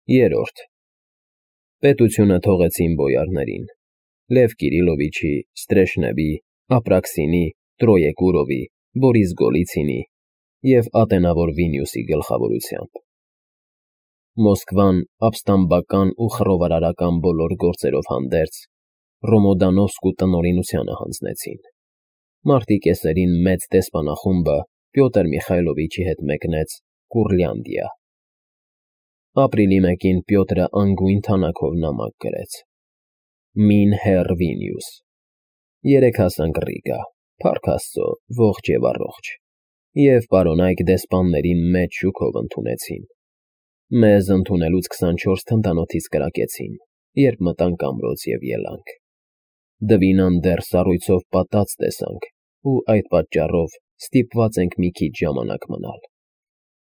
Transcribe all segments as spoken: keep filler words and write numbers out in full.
Երրորդ Պետությունը թողեցին բոյարներին. Լև Կիրիլովիչի, Ստրեշնևի, Ապրաքսինի, Տրոեկուրովի, Բորիս Գոլիցինի և ատենավոր Վինյուսի գլխավորությամբ։ Մոսկվան ապստամբական ու խռովարարական բոլոր գործերով հանդերձ Ռոմոդանովսկու տնօրինությանը հանձնեցին։ Մարտի կեսերին մեծ դեսպանախումբը Պյոտր Միխայլովիչի հետ մեկնեց Կուրլյանդիա։ Ապրիլի մեկին Պյոտրը անգույն թանաքով նամակ գրեց. Մին հեռ Վինյուս, երեկ հասանք Ռիգա, փառք Աստծո, ողջ և առողջ, և պարոնայք դեսպաններին մեծ շուքով ընդունեցին։ Մեզ ընդունելուց քսանչորս թնդանոթից կրակեցին, երբ մտանք ամրոց և ելանք։ Դվինան դեռ սառույցով պատած տեսանք ու այդ պատճառով ստիպված ենք մի քիչ ժամանակ մնալ։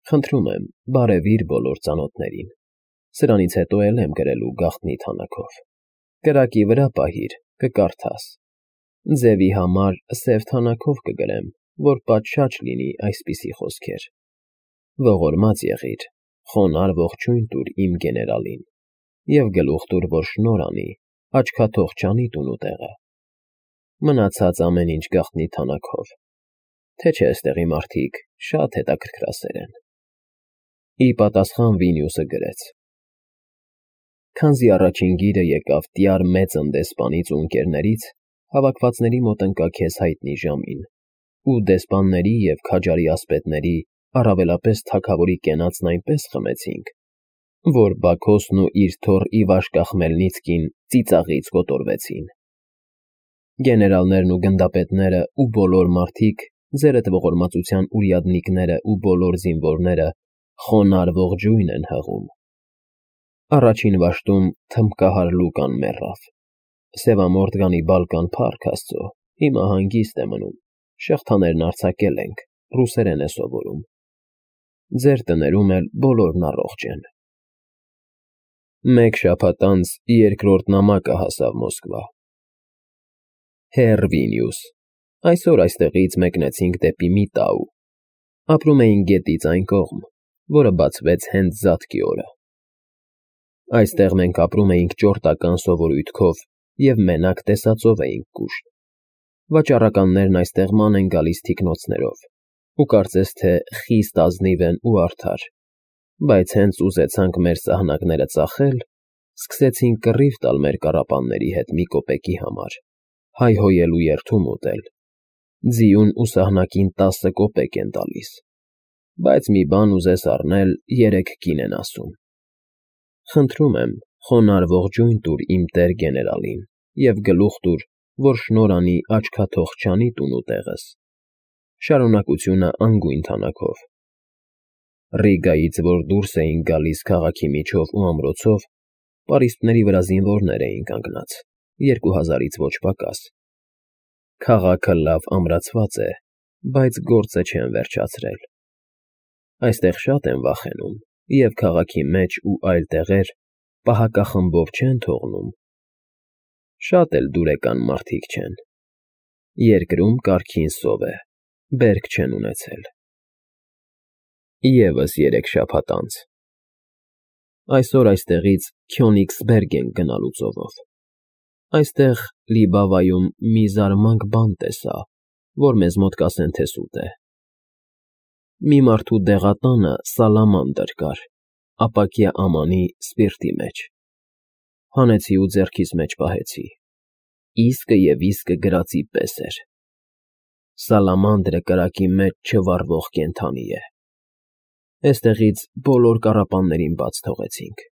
Խնդրում եմ, բարևիր բոլոր ծանոթներին, սրանից հետո էլ եմ գրելու գաղտնի թանաքով։ Կրակի վրա պահիր, կկարդաս։ Ձևի համար սև թանաքով կգրեմ, որ պատշաճ լինի այսպիսի խոսքեր։ Ողորմած եղիր, խոնարհ ողջույն տուր իմ գեներալին և գլուխ տուր, որ շնորհ անի, աչքաթող չանի տուն ու տեղը։ Մնացած ամեն ինչ գաղտնի թանաքով, թե չէ էստեղի մարդիկ շատ հետաքրքրասեր են։ Ի պատասխան Վինյուսը գրեց. Քանզի առաջին գիրը եկավ տյար Մեծն դեսպանից ու ընկերներից, հավաքվածների մոտ ընկա քեզ հայտնի ժամին, ու դեսպանների և քաջարի ասպետների, առավելապես թագավորի կենացն այնպես խմեցինք, որ Բաքոսն ու իր թոռ Իվաշկա Խմելնիցկին ծիծաղից կոտորվեցին։ Գեներալներն ու գնդապետները ու բոլոր մարդիկ, ձերդ ողորմածության ուրյադնիկները ու բոլոր զինվորները խոնարհ ողջույն են հղում։ Առաջին վաշտում թմբկահար Լուկան մեռավ։ Սևամորթ Գանիբալկան, փառք Աստծո, հիմա հանգիստ է մնում, շղթաներն արձակել ենք, ռուսերեն է սովորում։ Ձեր տներում էլ բոլորն առողջ են։ Մեկ շաբաթ անց երկրորդ նամակը հասավ Մոսկվա։ Հեռ Վինյուս, այսօր այստեղից մեկնեցինք դեպի Միտաու։ Ապրում էինք գետից այն կողմ, որը բացվեց հենց Զատկի օրը։ Այստեղ մենք ապրում էինք ճորտական սովորույթքով և մենակ տեսածով էինք կուշտ։ Վաճառականներն այստեղ ման են գալիս թիկնոցներով, ու կարծես թե խիստ ազնիվ են ու արդար, բայց հենց ուզեցանք մեր սահնակները ծախել, սկսեցին կռիվ տալ մեր կառապանների հետ մի կոպեկի համար, հայհոյել ու երդում ուտել։ Ձիուն ու սահնակին տասը կոպեկ են տալիս, բայց մի բան ուզես առնել, երեք կին են ասում։ Խնդրում եմ, խոնարհ ողջույն տուր իմ տեր գեներալին և գլուխ տուր, որ շնորհ անի աչքաթող չանի տուն ու տեղս։ Շարունակությունը անգույն թանաքով։ Ռիգայից, որ դուրս էինք գալիս քաղաքի միջով ու ամրոցով, պարիսպների վրա զինվորներ էին կանգնած, երկու հազարից ոչ պակաս։ Քաղաքը լավ ամրացված է, բայց գործը չեն վերջացրել։ Այստեղ շատ են վախենում, և քաղաքի մեջ ու այլ տեղեր պահակախմբով չեն թողնում։ Շատ էլ դուրեկան մարդիկ չեն։ Երկրում կարգին սով է, բերք չեն ունեցել։ Եվս երեք շաբաթ անց։ Այսօր այստեղից Քյոնիգսբերգ ենք գնալու ծովով։ Այստեղ Լիբավայում մի զարմանք բան տեսա, որ մեզ մոտ կասեն, թե սուտ է։ Մի մարդու դեղատանը սալամանդր կար, ապակյա ամանի սպիրտի մեջ։ Հանեցի ու ձեռքիս մեջ պահեցի։ Իսկը և իսկը գրածի պես էր։ Սալամանդրը կրակի մեջ չվառվող կենդանի է։ Էստեղից բոլոր կառապաններին բաց թողեցինք։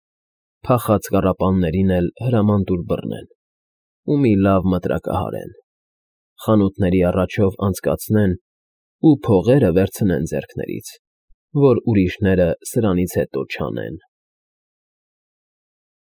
Փախած կառապաններին էլ հրաման տուր բռնեն ու մի լավ մտրակահարեն, խանութների առաջով անցկացնեն ու փողերը վերցնեն ձեռքներից, որ ուրիշները սրանից հետո չանեն։